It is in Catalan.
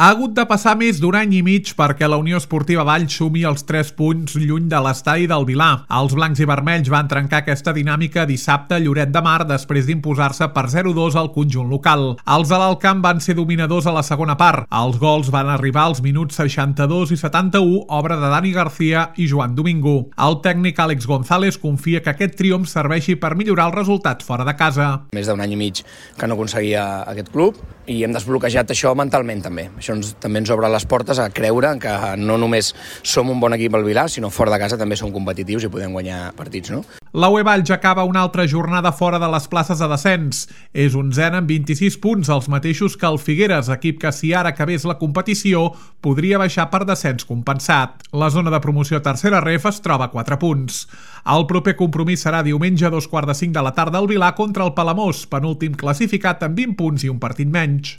Ha hagut de passar més d'un any i mig perquè la Unió Esportiva Valls sumi els 3 punts lluny de l'estadi del Vilar. Els blancs i vermells van trencar aquesta dinàmica dissabte a Lloret de Mar després d'imposar-se per 0-2 al conjunt local. Els de l'Alt Camp van ser dominadors a la segona part. Els gols van arribar als minuts 62 i 71, obra de Dani García i Joan Domingo. El tècnic Àlex González confia que aquest triomf serveixi per millorar els resultats fora de casa. Més d'un any i mig que no aconseguia aquest club i hem desbloquejat això mentalment també. Això també ens obre les portes a creure que no només som un bon equip al Vilar, sinó fora de casa també som competitius i podem guanyar partits, no? La UE Valls acaba una altra jornada fora de les places de descens. És 11è amb 26 punts, els mateixos que el Figueres, equip que si ara acabés la competició podria baixar per descens compensat. La zona de promoció tercera ref es troba a 4 punts. El proper compromís serà diumenge a 2:45 de la tarda al Vilar contra el Palamós, penúltim classificat amb 20 punts i un partit menys.